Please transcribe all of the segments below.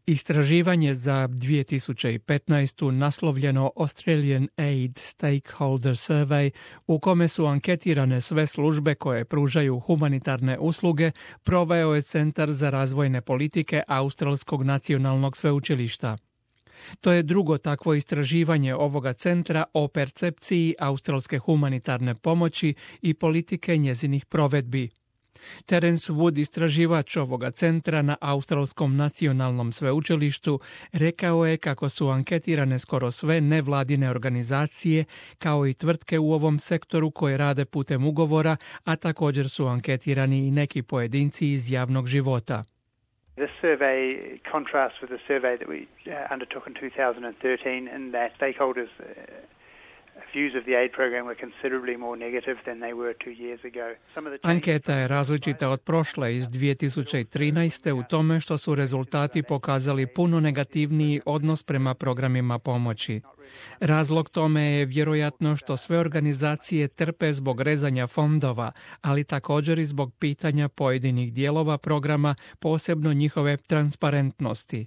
Istraživanje za 2015. naslovljeno Australian Aid Stakeholder Survey, u kome su anketirane sve službe koje pružaju humanitarne usluge, proveo je Centar za razvojne politike Australskog nacionalnog sveučilišta. To je drugo takvo istraživanje ovoga centra o percepciji australske humanitarne pomoći i politike njezinih provedbi. Terence Wood, istraživač ovoga centra na Australskom nacionalnom sveučilištu, rekao je kako su anketirane skoro sve nevladine organizacije, kao i tvrtke u ovom sektoru koje rade putem ugovora, a također su anketirani i neki pojedinci iz javnog života. The survey contrasts with the survey that we undertook in 2013, and that stakeholders' views of the aid program were considerably more negative than they were 2 years ago. Anketa je različita od prošle iz 2013. u tome što su rezultati pokazali puno negativniji odnos prema programima pomoći. Razlog tome je vjerojatno što sve organizacije trpe zbog rezanja fondova, ali također i zbog pitanja pojedinih dijelova programa, posebno njihove transparentnosti.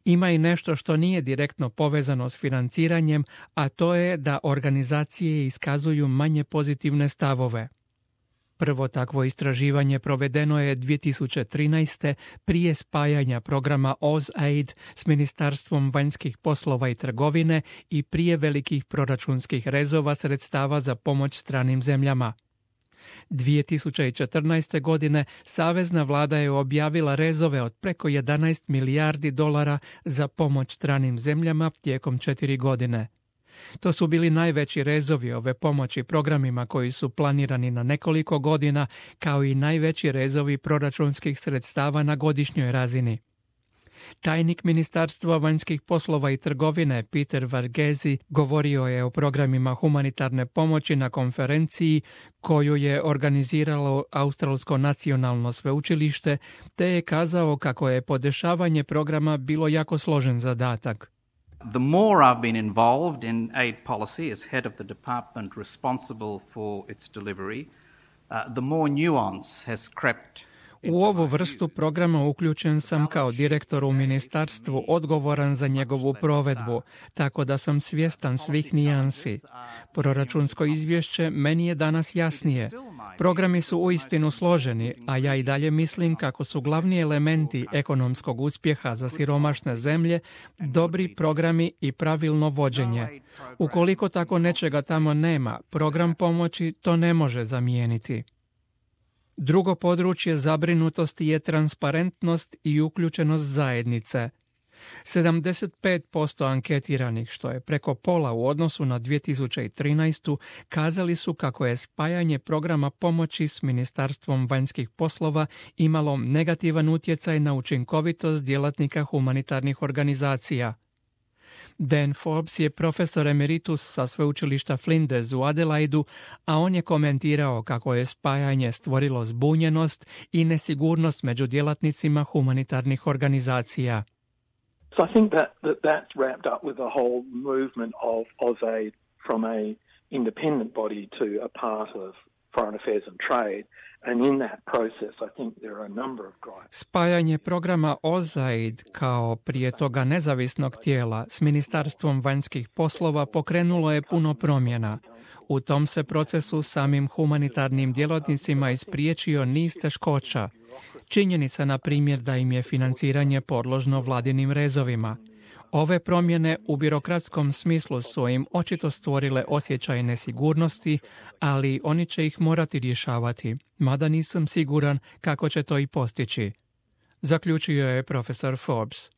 Ima i nešto što nije direktno povezano s financiranjem, a to je da organizacije iskazuju manje pozitivne stavove. Prvo takvo istraživanje provedeno je 2013. prije spajanja programa AusAid s Ministarstvom vanjskih poslova i trgovine i prije velikih proračunskih rezova sredstava za pomoć stranim zemljama. 2014. godine savezna vlada je objavila rezove od preko 11 milijardi dolara za pomoć stranim zemljama tijekom 4 godine. To su bili najveći rezovi ove pomoći programima koji su planirani na nekoliko godina, kao i najveći rezovi proračunskih sredstava na godišnjoj razini. Tajnik Ministarstva vanjskih poslova i trgovine Peter Varghese govorio je o programima humanitarne pomoći na konferenciji koju je organiziralo Australsko nacionalno sveučilište, te je kazao kako je podešavanje programa bilo jako složen zadatak. The more I've been involved in aid policy as head of the department responsible for its delivery, the more nuance has crept. U ovu vrstu programa uključen sam kao direktor u ministarstvu odgovoran za njegovu provedbu, tako da sam svjestan svih nijansi. Proračunsko izvješće meni je danas jasnije. Programi su uistinu složeni, a ja i dalje mislim kako su glavni elementi ekonomskog uspjeha za siromašne zemlje dobri programi i pravilno vođenje. Ukoliko tako nečega tamo nema, program pomoći to ne može zamijeniti. Drugo područje zabrinutosti je transparentnost i uključenost zajednice. 75% anketiranih, što je preko pola u odnosu na 2013. kazali su kako je spajanje programa pomoći s Ministarstvom vanjskih poslova imalo negativan utjecaj na učinkovitost djelatnika humanitarnih organizacija. Dan Forbes je profesor emeritus sa sveučilišta Flinders u Adelaidu, a on je komentirao kako je spajanje stvorilo zbunjenost i nesigurnost među djelatnicima humanitarnih organizacija. So I think that's wrapped up with the whole movement of AusAid from a independent body to a part of Foreign Affairs and Trade. And in that process, I think there are a number of drivers. Spajanje programa AusAid kao prije toga nezavisnog tijela s Ministarstvom vanjskih poslova pokrenulo je puno promjena. U tom se procesu samim humanitarnim djelatnicima ispriječio niz teškoća. Činjenica, na primjer, da im je financiranje podložno vladinim rezovima. Ove promjene u birokratskom smislu su im očito stvorile osjećaj nesigurnosti, ali oni će ih morati rješavati, mada nisam siguran kako će to i postići. Zaključio je profesor Forbes.